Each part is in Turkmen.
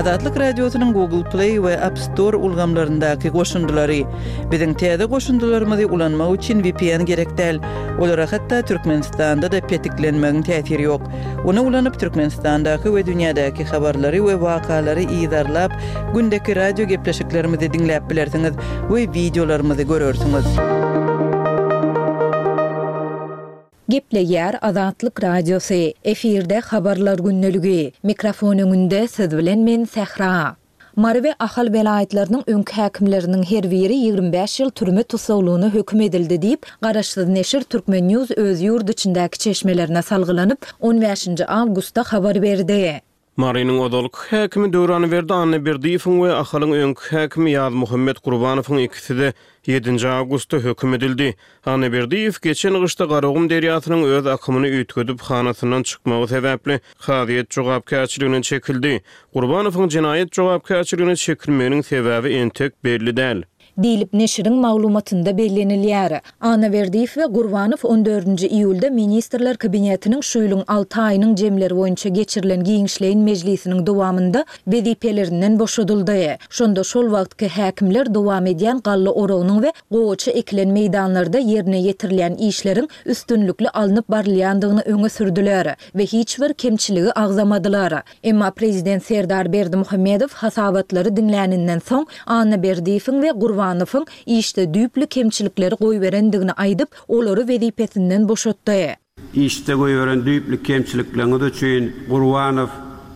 Azatlyk Radiosynyň Google Play we App Store ulgamlaryndaky goşundylary. Biziň täze goşundylarymyzy ulanmak üçin vpn gerek däl. Olara hatda Türkmenistanda-da petiklenmegiň täsiri ýok. Ony ulanyp Türkmenistandaky we dünýädäki habarlary we wakalary yzarlap, gündeki radio gepleşiklerimizi diňläp bilersiňiz we wideolarymyzy görersiňiz. Gepleýär Azatlyk Radiosy, efirde Habarlar gündeligi. Mikrofon öňünde siz bilen men Sähra. Mary we Ahal welaýatlarynyň öňki häkimleriniň her biri 25 ýyl türme tussaglygyna höküm edildi diýip, garaşsyz neşir Turkmen News öz ýurt içindäki çeşmelerine salgylanyp, on bäşinji awgustda habar berdi. Marynyň ozalky häkimi Döwranberdi Annaberdiýewiň we Ahalyň öňki häkimi Ýazmuhammet Gurbanowyň ikisi-de ýedinji awgustda höküm edildi. Annaberdiýew geçen gyşda Garagum derýasynyň öz akymyny üýtgedip hanasyndan çykmagy sebäpli kazyýet jogapkärçiligine çekildi. Gurbanowyň jenaýat jogapkärçiligine çekilmeginiň sebäbi entek belli däl. Diýlip, neşiriň maglumatynda bellenilýär. Annaberdiýew we Gurbanow on dördünji iýulda Ministrler Kabinetiniň şu ýylyň alty aýynyň jemleri boýunça geçirilen giňişleýin mejlisiniň dowamynda wezipelerinden boşadyldy. Şonda şol wagtky häkimler dowam edýän galla oragynyň we gowaça ekilen meýdanlarda ýerine ýetirilýän işleriň üstünlikli alnyp barylýandygyny öňe sürdüler we hiç bir kemçiligi agzamadylar. Emma prezident Serdar Berdimuhamedow hasabatlary diňläninden soň, Annaberdiýewiň we Gurbanowyň işde düýpli kemçilikleri goýberendigini aýdyp, olary wezipesinden boşatdy. Işde goýberen düýpli kemçilikleriňiz üçin, Gurbanow,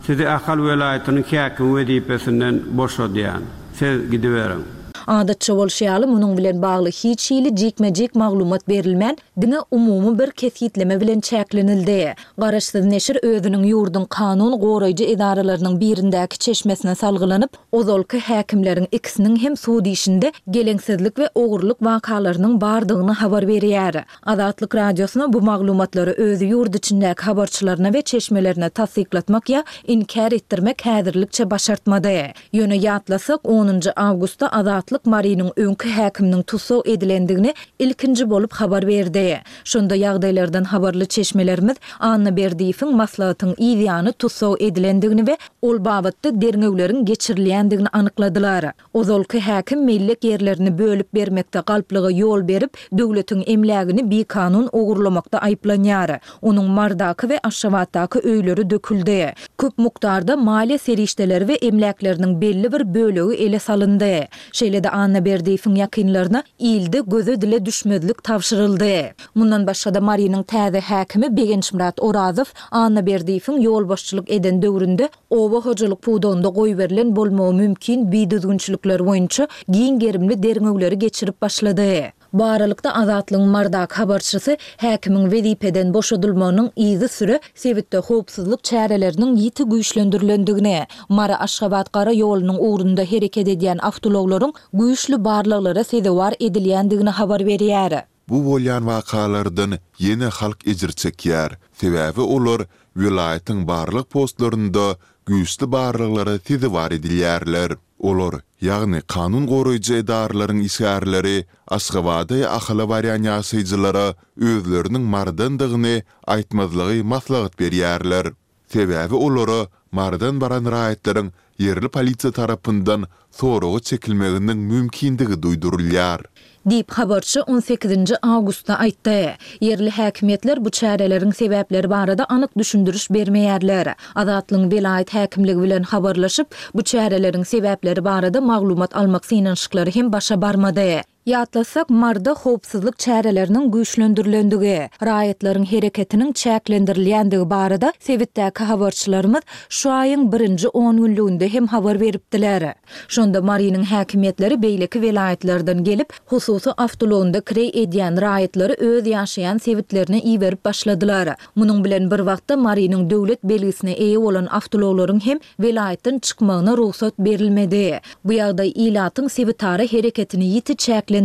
sizi Ahal welaýatynyň häkimi wezipesinden boşadýan. Siz gidiberiň. Adatça bolşy ýaly, munuň bilen bagly hiç hili jikme-jik maglumat berilmän, diňe umumy bir kesgitleme bilen çäklenildi. Garaşsyz neşir özüniň ýurduň kanun goraýjy edaralarynyň birindäki çeşmesine salgylanyp, ozalky häkimleriň ikisiniň hem sud işinde geleňsizlik we ogurlyk wakalarynyň bardygyny habar berýär. Azatlyk Radiosyna bu maglumatlary öz ýurt içindäki habarçylaryna we çeşmelerine tassyklatmak ýa inkär etdirmek häzirlikçe başartmady. Ýöne ýatlasak, onunjy awgustda Azatlyk Marynyň öňki häkiminiň tussag edilendigini ilkinji bolup habar berdi. Şonda ýagdaýlardan habarly çeşmelerimiz Annaberdiýewiň maslahatyň yz ýany tussag edilendigini we ol babatda derňewleriň geçirilýändigini anykladylar. Ozalky häkim mellek ýerlerini bölüp bermekde galplyga ýol berip, döwletiň emlägini bikanun ogurlamakda aýyplanýar. Onuň Mardaky we Aşgabatdaky öýleri döküldi. Köp mukdarda maliýe serişdeleri we emläkleriniň belli bir bölegi ele salyndy. Şeýle-de Annaberdiýewiň ýakynlaryna ilde göze-dile düşmezlik tabşyryldy. Mundan başga-da Marynyň täze häkimi Begençmyrat Orazow Annaberdiýewiň ýolbaşçylyk eden döwründe oba hojalyk pudagynda goýberilen bolmagy mümkin bidüzgünçilikler boýunça giň gerimli derňewleri geçirip başlady. Bu aralykda, Azatlygyň Mardaky habarçysy häkimiň wezipeden boşadylmagynyň yzysüre sebitde howpsuzlyk çäreleriniň ýiti güýçlendirilendigini, Mary-Aşgabat gara ýolunyň ugrunda hereket edýän awtoulaglaryň güýçli barlaglara sezewar edilýändigini habar berýär. Bu bolýan wakalardan ýene halk ejir çekýär, sebäbi olar welaýatyň barlag postlarynda güýçli barlaglara sezewar edilýärler. Olar, ýagny kanun goraýjy edaralaryň işgärleri Aşgabada ýa Ahala barýan ýaşaýjylara özleriniň Marydandygyny aýtmazlygy maslahat berýärler. Sebäbi olara Marydan baran raýatlaryň ýerli polisiýa tarapyndan soraga çekilmeginiň mümkindigi duýdurylýar. Diýip, habarçy on sekizinji awgustda aýtdy. Ýerli häkimiýetler bu çäreleriň sebäpleri barada anyk düşündiriş bermeýärler. Azatlygyň welaýat häkimligi bilen habarlaşyp, bu çäreleriň sebäpleri barada maglumat almak synanyşyklary hem başa barmady. Ýatlasak, Maryda howpsuzlyk çäreleriniň güýçlendirilendigi, raýatlaryň hereketiniň çäklendirilýändigi barada sebitdäki habarçylarymyz şu aýyň birinji ongünlüginde hem habar beripdiler. Şonda Marynyň häkimiýetleri beýleki welaýatlardan gelip, hususy awtoulagynda kireý edýän raýatlary öz ýaşaýan sebitlerine iberip başladylar. Munuň bilen bir wagtda Marynyň döwlet belgisine eýe bolan awtoulaglaryň hem welaýatdan çykmagyna rugsat berilmedi. Bu ýagdaý ilatyň sebitara hereketini ýiti çäklendiripdi.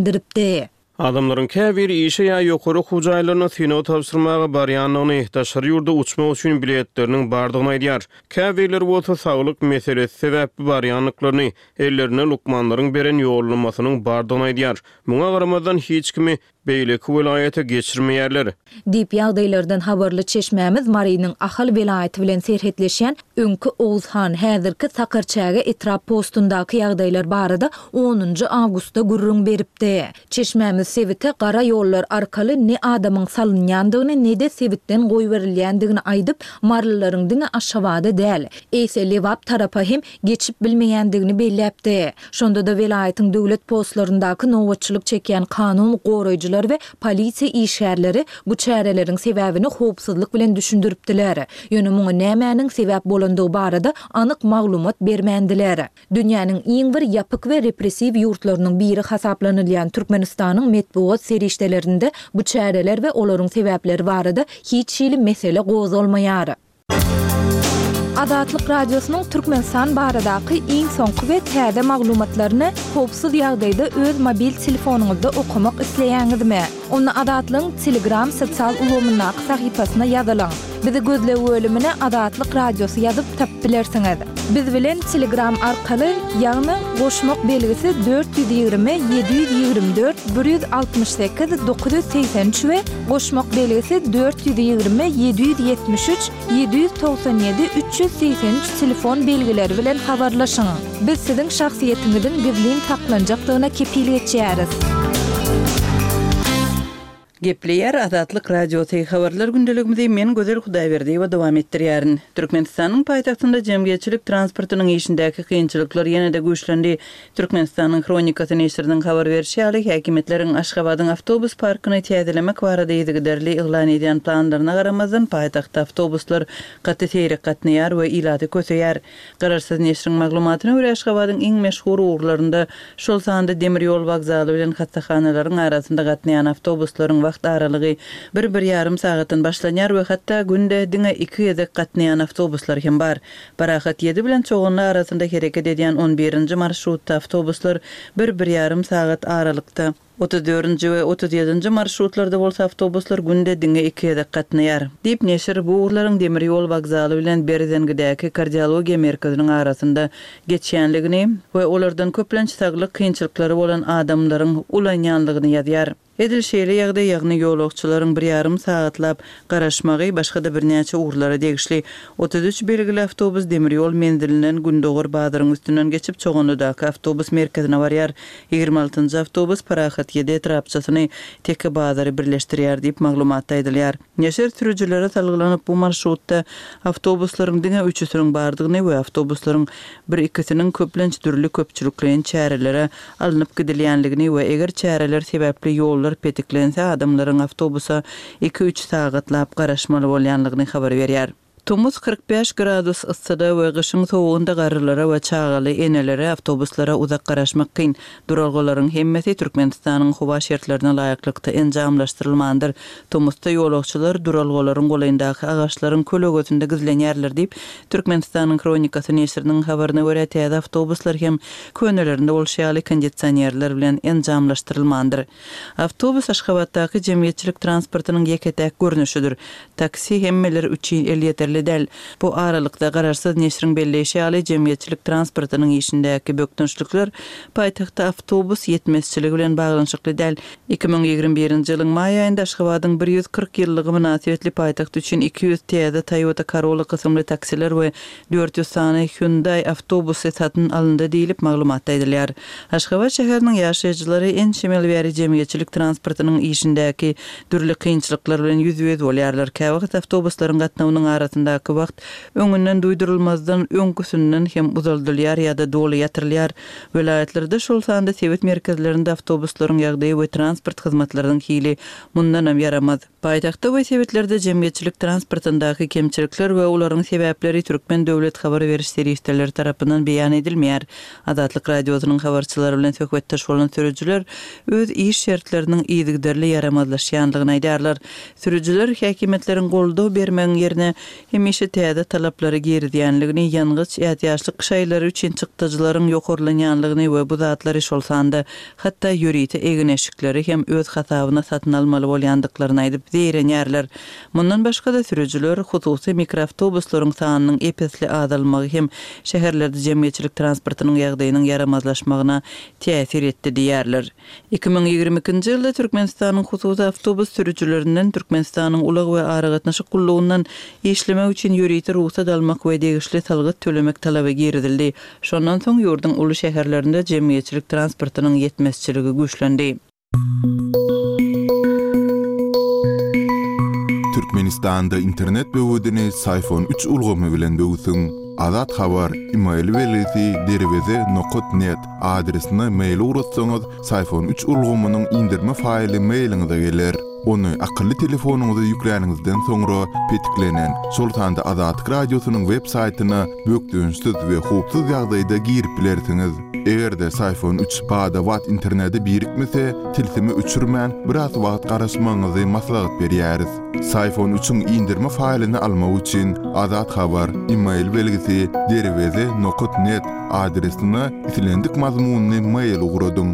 Adamlaryň käbiri işe ýa ýokary okuw jaýlaryna synag tabşyrmaga barýandygyny, daşary ýurda uçmak üçin biletleriniň bardygyny aýdýar. Käbirleri bolsa saglyk meselesi sebäpli barýandyklaryny, ellerinde lukmanlaryň beren ýollamasynyň bardygyny aýdýar. Muňa garamazdan, hiç kimi. beýleki welaýata geçirmeýärler. Diýip, ýagdaýlardan habarly çeşmämiz Marynyň Ahal welaýaty bilen serhetleşýän öňki Oguzhan, häzirki Sakarçäge etrap postundaky ýagdaýlar barada onunjy awgustda gürrüň beripdi. Çeşmämiz sebite gara ýollar arkaly ne adamyň salynýandygyny, ne-de sebitden goýberilýändigini aýdyp, marylylaryň diňe Aşgabada däl, eýse Lebap tarapa hem geçip bilmeýändigini belläpdi. Şonda-da welaýatyň döwlet postlaryndaky nobatçylyk çekýän kanun goraýjylar we polisiýa işgärleri bu çäreleriň sebäbini howpsuzlyk bilen düşündiripdiler. Ýöne muňa nämäniň sebäp bolandygy barada anyk maglumat bermändiler. Dünýäniň iň bir ýapyk we repressiw ýurtlarynyň biri hasaplanylýan Türkmenistanyň metbugat serişdelerinde bu çäreler we olaryň sebäpleri barada hiç hili mesele gozgalmaýar. Azatlyk Radiosynyň Türkmenistan baradaky iň soňky we täze maglumatlaryny howpsuz ýagdaýda öz mobil telefonyňyzda okamak isleýäňizmi? Onda Azatlygyň Telegram sosial ulgamyndaky sahypasyna ýazylyň. Bizi gözleg bölümine Azatlyk Radiosy ýazyp tapyp bilersiňiz. Biz bilen Telegram arkaly, ýagny goşmak belgisi 420 724 168 983 we goşmak belgisi 420 773 797 383 telefon belgileri bilen habarlaşyň. Biz siziň şahsyýetiňiziň gizlin saklanjakdygyna kepil geçýäris. Gepleýär Azatlyk Radiosy, Habarlar gündeligimizi men Gözel Hudaýberdiýewa dowam etdirýärin. Türkmenistanyň paýtagtynda jemgyýetçilik transportynyň işindäki kynçylyklar ýene-de güýçlendi. Türkmenistanyň Hronikasy neşiriniň habar berşi ýaly, häkimiýetleriň Aşgabadyň awtobus parkyny täzelemek barada yzygiderli yglan edýän planlaryna garamazdan, paýtagtda awtobuslar gaty seýrek gatnaýar we ilaty köseýär. Garaşsyz neşiriň maglumatyna görä, Aşgabadyň iň meşhur ugurlarynda, şol sanda demir ýol wokzaly bilen hassahanalaryň arasynda gatnaýan awtobuslaryň wagt aralygy bir-bir ýarym sagatdan başlanýar we hatda günde diňe iki gezek gatnaýan awtobuslar hem bar. Parahat ýedi bilen Çoganly arasynda hereket edýän on birinji marşrutda awtobuslar bir-bir ýarym sagat aralykda, 34-nji we 37-nji marşrutlarda bolsa awtobuslar günde diňe iki gezek gatnaýar. Diýip, neşir bu ugurlaryň demir ýol wokzaly bilen Berzeňňidäki kardiologiýa merkeziniň arasynda geçýänligini we olardan köplenç saglyk kynçylyklary bolan adamlaryň ulanýanlygyny ýazýar. Edil şeýle ýagdaý, ýagny ýolagçylaryň bir ýarym sagatlap garaşmagy başga-da birnäçe ugurlara degişli. 33 belgili awtobus demir ýol menzilinden Gündogar bazaryň üstünden geçip Çoganlydaky awtobus merkezine barýar. Ýigrimi altynjy awtobus Parahat ýedi etrapçasyny Teke bazary birleşdirýär diýip, maglumatda aýdylýar. Neşir sürüjilere salgylanyp, bu marşrutda awtobuslaryň diňe üçüsiniň bardygyny we awtobuslaryň bir-ikisiniň köplenç dürli köpçülikleýin çärelere alnyp gidilýänligini we eger çäreler sebäpli ýollar petiklense adamlaryň awtobusa iki-üç sagatlap garaşmaly bolýanlygyny habar berýär. Tomus 45 gradus yssyda we gyşyň sowugynda garrylara we çagaly enelere awtobuslara uzak garaşmak kyn. Duralgalaryň hemmesi Türkmenistanyň howa şertlerine laýyklykda enjamlaşdyrylmandyr. Tomusda ýolagçylar duralgalaryň golaýyndaky agaçlaryň kölegesinde gizlenýärler diýip, Türkmenistanyň Hronikasy neşiriniň habaryna görä, täze awtobuslar hem könelerinde bolşy ýaly kondisionerler bilen enjamlaşdyrylmandyr. Awtobus Aşgabatdaky jemgyýetçilik transportynyň ýeke-täk görnüşidir. Taksi hemmeler üçin elýeterli däl. Bu aralykda, garaşsyz neşiriň belleýşi ýaly, jemgyýetçilik transportynyň işindäki bökdençlikler paýtagtda awtobus ýetmezçiligi bilen baglanyşykly däl. 2021-nji ýylyň maý aýynda Aşgabadyň 140 ýyllygy mynasybetli paýtagt üçin 200 täze Toyota Corolla kysymly taksiler we 400 sany Hyundai awtobusy satyn alyndy diýlip, maglumatda aýdylýar. Aşgabat şäheriniň ýaşaýjylary ençeme ýyl bäri jemgyýetçilik transportynyň işindäki dürli kynçylyklar bilen ýüzbe-ýüz bolýarlar. Käwagt awtobuslaryň gatnawynyň arasyndaky wagt öňünden duýdurylmazdan öňküsinden hem uzaldylýar ýa-da doly ýatyrylýar. Welaýatlarda, şol sanda sebit merkezlerinde awtobuslaryň ýagdaýy we transport hyzmatlarynyň hili mundanam ýaramaz. Paýtagtda we sebitlerde jemgyýetçilik transportyndaky kemçilikler we olaryň sebäpleri türkmen döwlet habar beriş serişdeleri tarapyndan beýan edilmeýär. Azatlyk Radiosynyň habarçylary bilen söhbetdeş bolan sürüjiler öz iş şertleriniň yzygiderli ýaramazlaşýandygyny aýdýarlar. Sürüjiler häkimiýetleriň goldaw bermegiň ýerine, hemişe täze talaplary girizýänligini, ýangyç, ätiýaçlyk şaýlary üçin çykdajylaryň ýokarlanýanlygyny we bu zatlary, şol sanda hatda ýörite egin-eşikleri hem öz hasabyna satyn almaly bolýandyklaryny aýdyp zeýrenýärler. Mundan başga-da, sürüjiler hususy mikroawtobuslaryň sanynyň ep-esli azalmagy hem şäherlerde jemgyýetçilik transportynyň ýagdaýynyň ýaramazlaşmagyna täsir etdi diýýärler. 2022-nji ýylda Türkmenistanyň hususy awtobus sürüjilerinden Türkmenistanyň Ulag we aragatnaşyk gullugyndan işlemek üçin ýörite rugsat almak we degişli salgyt tölemek talaby girizildi. Şondan soň ýurduň uly şäherlerinde jemgyýetçilik transportynyň ýetmezçiligi güýçlendi. Türkmenistanda internet böwedini Syfon üç ulgamy bilen böwsüň. Azat Habar, email belgisi derweze nokat net adresine mail ugratsaňyz Syfon üç ulgamynyň indirme faýly mailiňize geler. Ony akylly telefonyňyza ýükläniňizden soňra petiklenen, şol sanda Azatlyk Radiosynyň web saýtyna bökdençsiz we howpsuz ýagdaýda girip bilersiňiz. Eger-de Syfon üç bada-bat internete birikmese, tilsimi öçürmän, biraz wagt garaşmagyňyzy maslahat berýäris. Syfon üçiň indirme faýlyny almak üçin Azat Habar, email belgisi, derweze nokat net adresine islendik mazmunly mail ugradyň.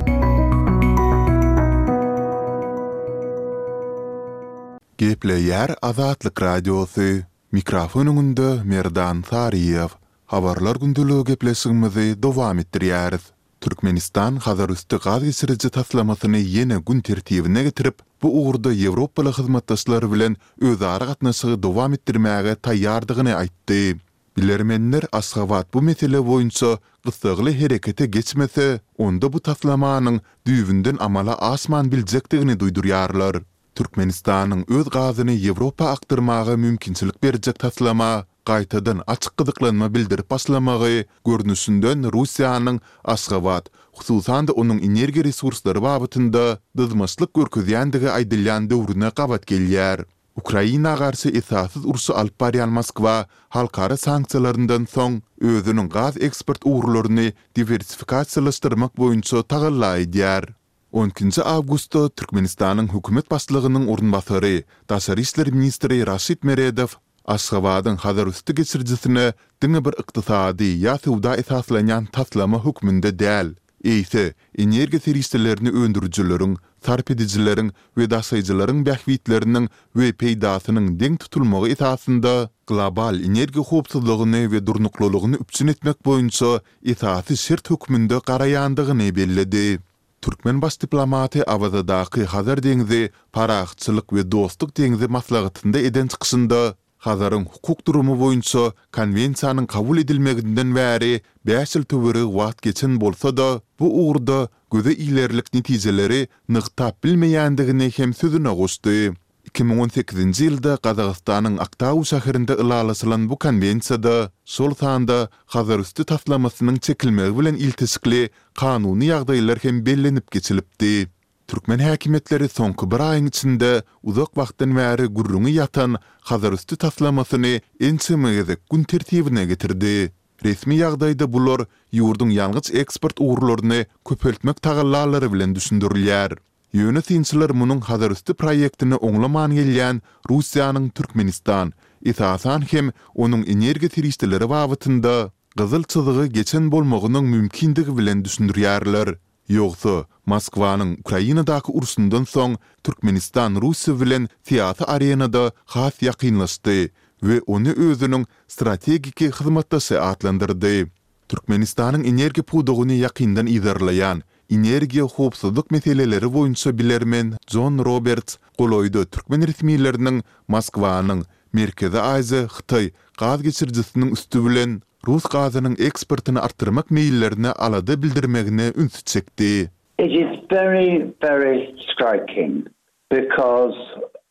Gepleýär Azatlyk Radiosy, Mikrofon öňünde Merdan Saryýew. Habarlar gündeligi gepleşigimizi dowam etdirýäris. Türkmenistan Hazarüsti gaz geçiriji taslamasyny ýene gün tertibine getirip, bu ugurda ýewropaly hyzmatdaşlar bilen özara gatnaşygy dowam etdirmäge taýýardygyny aýtdy. Bilermenler Aşgabat bu mesele boýunça gyssagly herekete geçmese, onda bu taslamanyň düýbünden amala aşman biljekdigini duýdurýarlar. Türkmenistanyň öz gazyny Ýewropa akdyrmaga mümkinçilik berjek taslama gaýtadan açyk gyzyklanma bildirip başlamagy, görnüşinden Russiýanyň Aşgabat, hususan-da onuň energiýa resurslary babatynda dyzmaçlyk görkezýändigi aýdylýan döwrüne gabat gelýär. Ukraina garşy esassyz urşy alyp barýan Moskwa halkara sanksiýalaryndan soň özüniň gaz eksport ugurlaryny diwersifikasiýalaşdyrmak boýunça tagalla edýär. On ikinji awgustda Türkmenistanyň hökümet başlygynyň orunbasary, daşary işler ministri Raşid Meredow Aşgabadyň Hazarüsti geçirijisine diňe bir ykdysady ýa söwda esaslanýan taslama hökmünde däl, eýse, energiýa serişdelerini öndürijileriň, sarp edijileriň we daşaýjylaryň bähbitleriniň we peýdasynyň deň tutulmagy esasynda global energiýa howpsuzlygyny we durnuklylygyny üpjün etmek boýunça esasy şert hökmünde garaýandygyny belledi. Türkmen baş diplomaty Awazadaky Hazar deňzi, parahatçylyk we dostluk deňzi maslahatynda eden çykyşynda Hazaryň hukuk durumy boýunça Konwensiýanyň kabul edilmeginden bäri bäş ýyl töweregi wagt geçen bolsa-da, bu ugurda göze ilerlik netijeleri nygtap bilmeýändigini hem sözüne goşdy. 2018-nji ýylda Gazagystanyň Aktau şäherinde ylalaşylan bu konwensiýada, şol sanda Hazarüsti taslamasynyň çekilmegi bilen ilteşikli kanuny ýagdaýlar hem bellenip geçilipdi. Türkmen häkimiýetleri soňky bir aýyň içinde uzak wagtdan bäri gürrüňi ýatan Hazarüsti taslamasyny ençeme gezek gün tertibine getirdi. Resmi ýagdaýda bular ýurduň ýangyç eksport ugurlaryny köpeltmek tagallalary bilen düşündirilýär. Ýöne synçylar munuň Hazarüsti proýektini oňlaman gelýän Russiýanyň Türkmenistan, esasan hem onuň energiýa serişdeleri babatynda gyzyl çyzygy geçen bolmagynyň mümkindigi bilen düşündirýärler. Ýogsa, Moskwanyň Ukrainadaky urşundan soň Türkmenistan Russiýa bilen syýasy arenada has ýakynlaşdy we ony özüniň strategiki hyzmatdaşy atlandyrdy. Türkmenistanyň energiýa pudagyny ýakyndan yzarlaýan, energiýa howpsuzlyk meseleleri boýunça bilermen Jon Roberts golaýda türkmen resmileriniň Moskwanyň Merkezi Aziýa, Hytaý gaz geçirijisiniň üsti bilen rus gazynyň eksportyny artdyrmak meýillerine alada bildirmegine ünsi çekdi. It is very, very striking because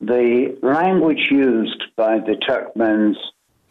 the language used by the Turkmens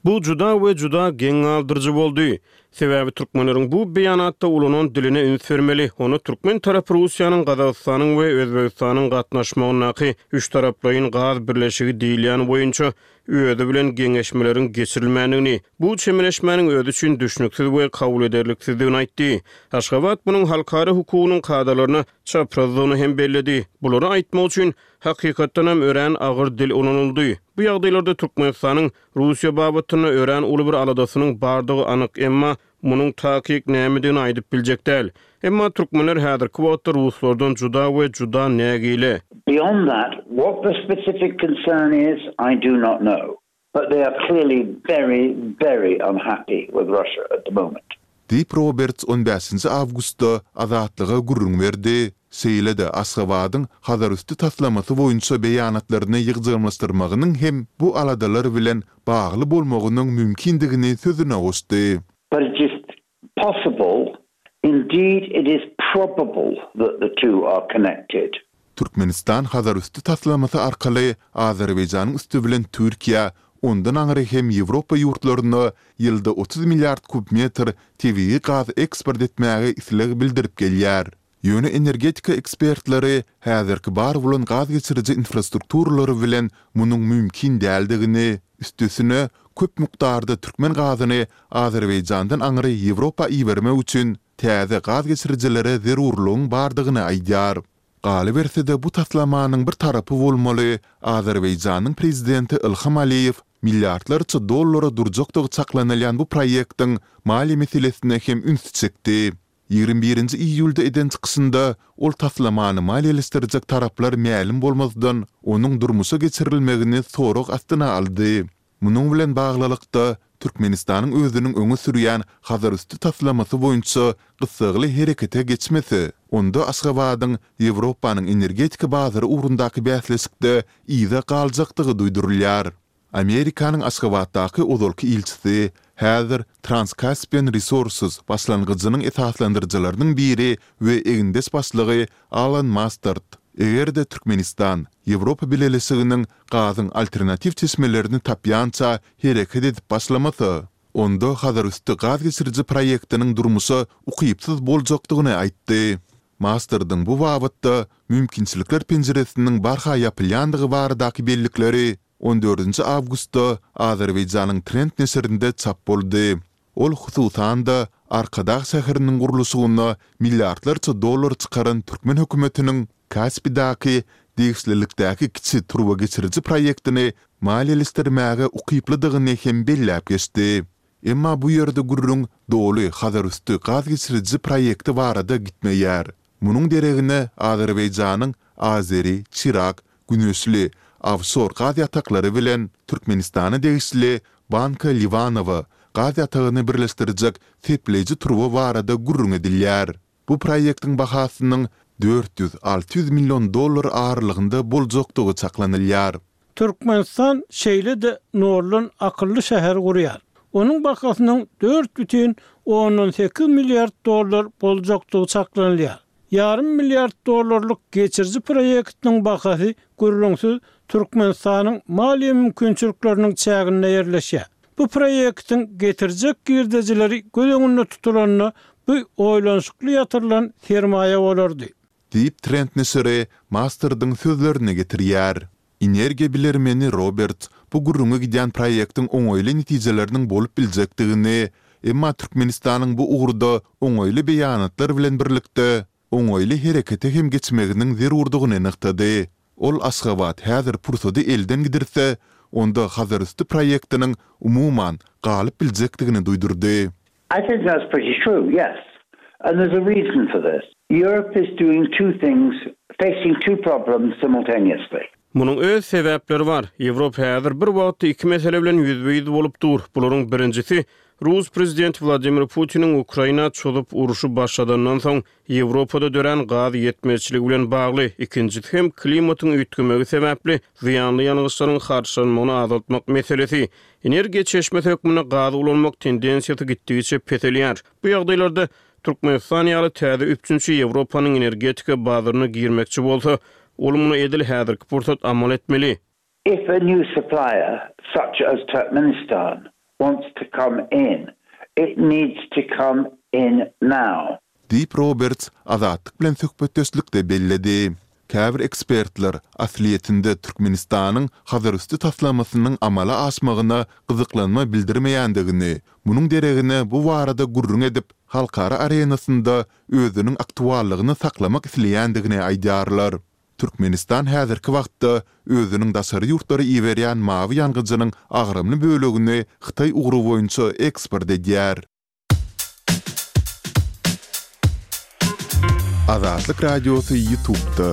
Bu juda we juda geň galdyryjy boldy. Sebäbi türkmenleriň bu beýanatda ulanan diline üns bermeli. Onda türkmen tarapy Russiýanyň, Gazagystanyň we Özbegistanyň gatnaşmagyndaky üçtaraplaýyn gaz birleşigi diýilýän boýunça özi bilen geňeşmeleriň geçirilmändigini, bu çemeleşmäniň özi üçin düşnüksiz we kabul ederliksizdigini aýtdy. Aşgabat munuň halkara hukugynyň kadalaryna çaprazdygyny hem belledi. Bulary aýtmak üçin, hakykatdanam, örän agyr dil ulanyldy. Bu ýagdaýlarda Türkmenistanyň Russiýa babatynda örän uly bir aladasynyň bardygy anyk, emma munuň takyk nämedigini aýdyp biljek däl. Emma türkmenler häzirki wagtda ruslardan juda we juda nägile. Beyond that, what the specific concern is, I do not know. But they are clearly very, very unhappy with Russia at the moment. Diýip, Roberts on bäşinji awgustda Azatlyga gürrüň berdi. Şeýle-de Aşgabadyň Hazarüsti taslamasy boýunça beýanatlaryny ýygjamlaşdyrmagynyň hem bu aladalar bilen bagly bolmagynyň mümkindigini sözüne goşdy. But it is possible, indeed it is probable that the two are connected. Türkmenistan Hazarüsti taslamasy arkaly Azerbaýjanyň üsti bilen Türkiýä, ondan aňry hem Ýewropa ýurtlaryna ýylda 30 milliard kub metr tebigy gaz eksport etmäge isleg bildirip gelýär. Ýöne energetika ekspertleri häzirki bar bolan gaz geçiriji infrastrukturalary bilen munuň mümkin däldigini, üstesine, köp mukdarda türkmen gazyny Azerbaýjandan aňry Ýewropa ibermek üçin täze gaz geçirijilere zerurlygyň bardygyny aýdýar. Galyberse-de, bu taslamanyň bir tarapy bolmaly Azerbaýjanyň prezidenti Ilham Aliýew milliardlarça dollara durjakdygy çaklanylýan bu proýektiň maliýe meselesine hem ünsi çekdi. 21 iýulda eden çykyşynda ol taslamany maliýeleşdirjek taraplar mälim bolmazdan, onuň durmuşa geçirilmegini sorag astyna aldy. Munuň bilen baglylykda, Türkmenistanyň özüniň öňe sürýän Hazarüsti taslamasy boýunça gyssagly herekete geçmese, onda Aşgabadyň Ýewropanyň energetika bazary ugrundaky bäsleşikde yza galjakdygy duýdurylýar. Amerikanyň Aşgabatdaky ozalky ilçisi, häzir Trans-Caspian Resources başlangyjynyň esaslandyryjylarynyň biri we egindeş başlygy Alan Mastard, eger-de Türkmenistan Ýewropa Bileleşiginiň gazyň alternatiw çeşmelerini tapýança hereket edip başlamasa, onda Hazarüsti gaz geçiriji proýektiniň durmuşa ukypsyz boljakdygyny aýtdy. Mastardyň bu babatda mümkinçilikler penjiresiniň barha ýapylýandygy baradaky bellikleri on dördünji awgustda Azerbaýjanyň Trend neşirinde çap boldy. Ol, hususan-da, Arkadag şäheriniň gurluşygyna milliardlarça dollar çykaran türkmen hökümetiniň Kaspidäki degişlilikdäki kiçi turbageçiriji proýektini maliýeleşdirmäge ukyplydygyny hem belläp geçdi. Emma bu ýerde gürrüň doly Hazarüsti gaz geçiriji proýekti barada gitmeýär. Munuň deregine Azerbaýjanyň Azeri, Çirak, Güneşli, ofşor gaz ýataklary bilen Türkmenistana degişli Banka Liwanowa gaz ýatagyny birleşdirjek sepleýji turba barada gürrüň edilýär. Bu proýektiň bahasynyň 400-600 million dollar aralygynda boljakdygy çaklanylýar. Türkmenistan şeýle-de noldan akylly şäher gurýar. Onuň bahasynyň 4,8 milliard dollar boljakdygy çaklanylýar. Ýarym milliard dollarlyk geçiriji proýektiniň bahasy gürrüňsiz Türkmenistanyň maliýe mümkinçilikleriniň çäginde ýerleşýär. Bu proýektiň getirjek girdejileri göz öňünde tutulanda bu oýlanyşykly ýatyrylan sermaýa bolardy. Diýip, Trend neşiri Mastardyň sözlerini getirýär. Energiýa bilermeni Roberts bu gürrüňi gidýän proýektiň oňaýly netijeleriniň bolup biljekdigini, emma Türkmenistanyň bu ugurda oňaýly beýanatlar bilen birlikde, oňaýly herekete hem geçmeginiň zerurdygyny nygtady. Ol Aşgabat häzir pursady elden gidirse, onda Hazarüsti proýektiniň umuman galyp biljekdigini duýdurdy. I think that's pretty true, yes. And there's a reason for this. Europe is doing two things, facing two problems simultaneously. Munuň öz sebäpleri bar. Ýewropa häzir bir wagtda iki mesele bilen ýüzbe-ýüz bolup dur. Bularyň birinjisi, rus prezidenti Wladimir Putiniň Ukraina çozup urşy başladandan soň Ýewropada dörän gaz ýetmezçiligi bilen bagly, ikinjisi hem klimatyň üýtgemegi sebäpli zyýanly ýangyçlaryň harçlanmagyny azaltmak meselesi. Energiýa çeşmesi hökmünde gazy ulanmak tendensiýasy gitdigiçe peselýär. Bu ýagdaýlarda Türkmenistan ýaly täze üpjünçi Ýewropanyň energetika bazaryna girmekçi bolsa, ol muny edil häzirki pursat amal etmeli. If a new supplier, such as Turkmenistan, wants to come in. It needs to come in now. Diýip, Roberts Azatlyk bilen söhbetdeşlikde belledi. Käbir ekspertler, aslyýetinde Türkmenistanyň Hazarüsti taslamasynyň amala aşmagyna gyzyklanma bildirmeýändigini, munuň deregine bu barada gürrüň edip, halkara arenasynda özüniň aktuallygyny saklamak isleýändigini aýdýarlar. Türkmenistan häzirki wagtda özüniň daşary ýurtlara iberýän mawy ýangyjynyň agramly bölegini Hytaý ugry boýunça eksport edýär. Azatlyk Radiosy YouTube'da.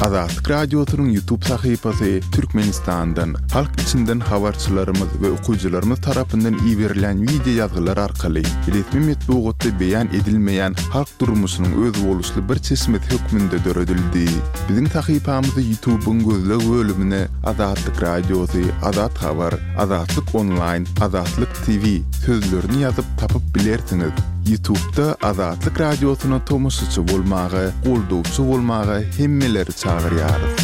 Azatlyk Radiosynyň YouTube sahypasy Türkmenistandan, halk içinden habarçylarymyz we okyjylarymyz tarapyndan iberilen wideo ýazgylar arkaly resmi metbugatda beýan edilmeýän halk durmuşynyň özboluşly bir çeşmesi hökmünde döredildi. Biziň sahypamyzy YouTube-yň gözleg bölümine Azatlyk Radiosy, Azat Habar, Azatlyk Onlaýn, Azatlyk TV sözlerini ýazyp tapyp bilersiňiz. YouTube-da Azatlyk Radiosyna tomaşaçy bolmaga, goldawçy bolmaga hemmeleri çagyrýarys.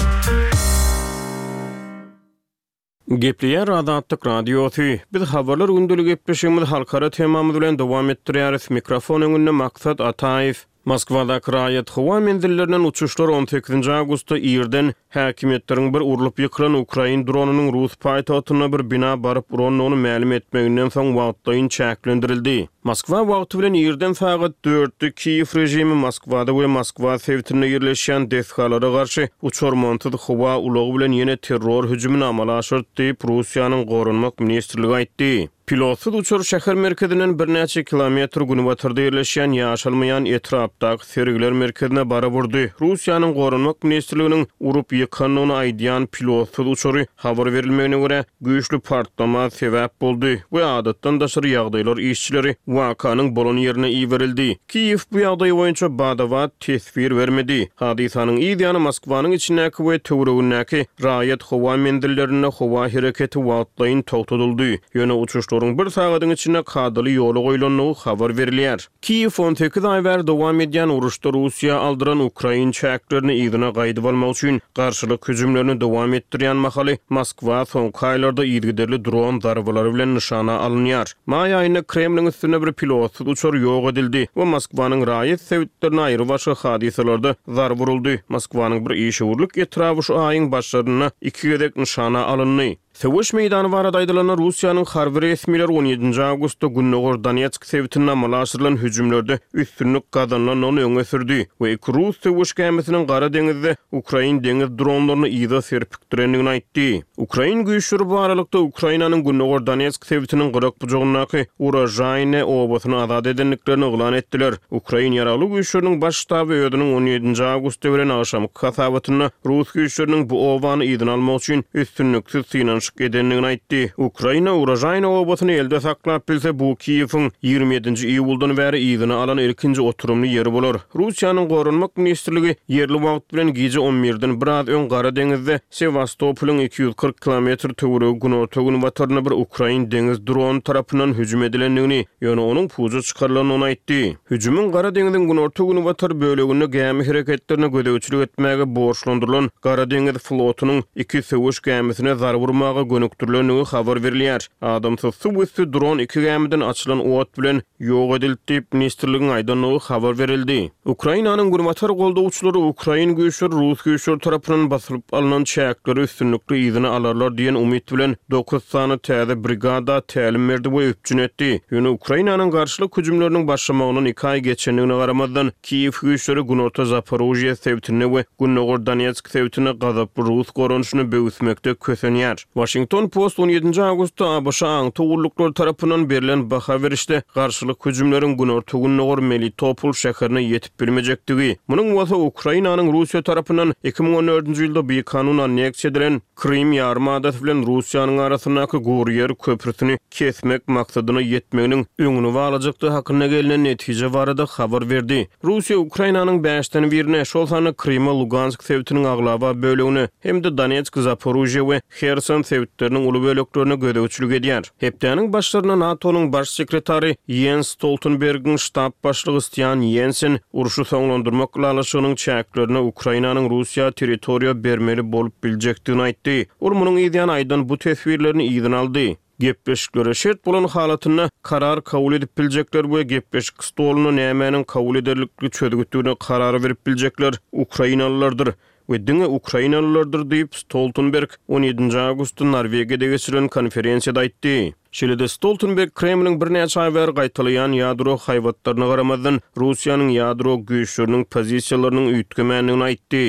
Gepleýär Azatlyk Radiosy. Biz Habarlar gündelik gepleşigimizi halkara temamyz bilen dowam etdirýäris. Mikrofon öňünde Maksat Ataýew. Moskwadaky raýat howa menzillerinden uçuşlar on sekizinji awgustda irden häkimiýetleriň bir urlup ýykylan ukrain dronynyň rus paýtagtynda bir bina baryp urandygyny mälim etmeginden soň wagtlaýyn çäklendirildi. Moskwa wagty bilen irden sagat dörtde Kiýew režimi Moskwada we Moskwa sebitinde ýerleşýän desgalara garşy uçarmansyz howa ulagy bilen ýene terror hüjümini amala aşyrdy diýip, Russiýanyň Goranmak ministrligi aýtdy. Pilotsyz uçar şäher merkezinden birnäçe kilometr günbatarda ýerleşýän ýaşalmaýan etrapdaky sergiler merkezine baryp urdy. Russiýanyň Goranmak ministrliginiň urup ýykandygyny aýdýan pilotsyz uçary, habar berilmegine görä, güýçli partlama sebäp boldy we adatdan daşary ýagdaýlar işçileri wakanyň bolan ýerine iberildi. Kiýew bu ýagdaý boýunça bada-bat teswir bermedi. Hadysanyň yz ýany Moskwanyň içindäki we töweregindäki raýat howa menzillerinde howa hereketi wagtlaýyn togtadyldy, ýöne uçuşlaryň bir sagadyň içinde kadaly ýola goýlandygy habar berilýär. Kiýew 18 aý bäri dowam edýän uruşda Russiýa aldyran ukrain çäklerini yzyna gaýdyp almak üçin garşylyk hüjümlerini dowam etdirýän mahaly, Moskwa soňky aýlarda yzygiderli dron zarbalary bilen nyşana alynýar. Maý aýynda Kremliň üstünde bir pilotsyz uçar ýok edildi we Moskwanyň raýat sebitlerine aýrybaşga hadysalarda zarba uruldy. Moskwanyň bir işewürlik etraby şu aýyň başlarynda iki gezek nyşana alyndy. Söweş meýdany barada aýdylanda, Russiýanyň harby resmileri on ýedinji awgustda gündogar Donetsk sebitinde amala aşyrylan hüjümlerde üstünlik gazanylandygyny öňe sürdi we iki rus söweş gämisiniň Gara deňizde ukrain deňiz dronlaryny yza serpikdirendigini aýtdy. Ukrain güýçleri bu aralykda Ukrainanyň gündogar Donetsk sebitiniň gyrak-bujagyndaky Uražaýne obasyny azat edendiklerini yglan etdiler. Ukrain Ýaragly Güýçleriniň Baş ştaby özüniň on ýedinji awgustda beren agşamky hasabatynda rus güýçleriniň bu obany yzyna almak üçin üstünliksiz synanyşyk edendigini aýtdy. Ukraina Uražaýne obasyny elde saklap bilse, bu Kiýewiň ýigrimi ýedinji iýuldan bäri yzyna alan ilkinji oturymly ýeri bolar. Russiýanyň Goranmak ministrligi ýerli wagt bilen gije on birden biraz öň Gara deňizde Sewastopolyň 240 kilometr töweregi günorta-günbatarynda bir ukrain deňiz drony tarapyndan hüjüm edilendigini, ýöne onuň puja çykarylandygyny aýtdy. Hüjümiň Gara deňziň günorta-günbatar böleginde gämi hereketlerine gözegçilik etmäge borçlandyrylan Gara deňiz flotunyň iki söweş gämisine zarba urmaga gönükdirilendigi habar berilýär. Adamsyz suw üsti dron iki gämiden açylan ot bilen ýok edildi diýip, ministrligiň aýdandygy habar berildi. Ukrainanyň günbatar goldawçylary ukrain güýçleri rus güýçleri tarapyndan basylyp alnan çäkleri üstünlikli yzyna alarlar diýen umyt bilen dokuz sany täze brigada tälim berdi we üpjün etdi. Ýöne Ukrainanyň garşylyk hüjümleriniň başlamagyndan iki aý geçendigine garamazdan, Kiýew güýçleri günorta Zaporožýe sebitinde we gündogar Donetsk sebitinde gazaply rus goranyşyny böwüsmekde kösenýär. Waşington Post on ýedinji awgustda ABŞ aňtaw gulluklary tarapyndan berlen baha berişde garşylyk hüjümleriň günorta-gündogar Melitopol şäherine ýetip bilmejekdigi, munuň bolsa Ukrainanyň Russiýa tarapyndan 2014-nji ýylda bikanun anneksiýa edilen Krym ýarym adasy bilen Russiýanyň arasyndaky gury ýer köprüsini kesmek maksadyna ýetmeginiň öňüni baglajakdygy hakynda gelnen netije barada habar berdi. Russiýa Ukrainanyň bäşden birine, şol sanda Kryma, Lugansk sebitiniň aglaba bölegine hem-de Donetsk, Zaporožýe we Herson sebitleriniň uly böleklerine gözegçilik edýär. Hepdäniň başlarynda NATO-nyň Baş sekretary Ýens Stoltenbergiň ştab başlygy Stian Ýensen urşy soňlandyrmak ylalaşygynyň çäklerinde Ukrainanyň Russiýa territoriýa bermeli bolup biljekdigini aýtdy. Ol munuň yzýany aýdan bu teswirlerini yzyna aldy. Gepleşiklere şert bolan halatynda karar kabul edip biljekler we gepleşik stolunda nämäniň kabul ederlikli çözgütdigine karar berip biljekler ukrainalylardyr we diňe ukrainalylardyr diýip, Stoltenberg on ýedinji awgustda Norwegiýada geçirilen konferensiýada aýtdy. Şeýle-de Stoltenberg Kremliň birnäçe aý bäri gaýtalaýan ýadro haýbatlaryna garamazdan, Russiýanyň ýadro güýçleriniň pozisiýalarynyň üýtgemändigini aýtdy.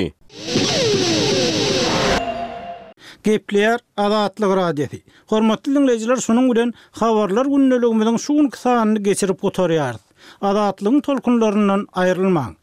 Gepleýär Azatlyk Radiosy. Hormatly diňleýjiler şunuň bilen Habarlar gündeligimiziň şu günki sanyny geçirip gutarýarys. Azatlygyň tolkunlaryndan aýrylmaň.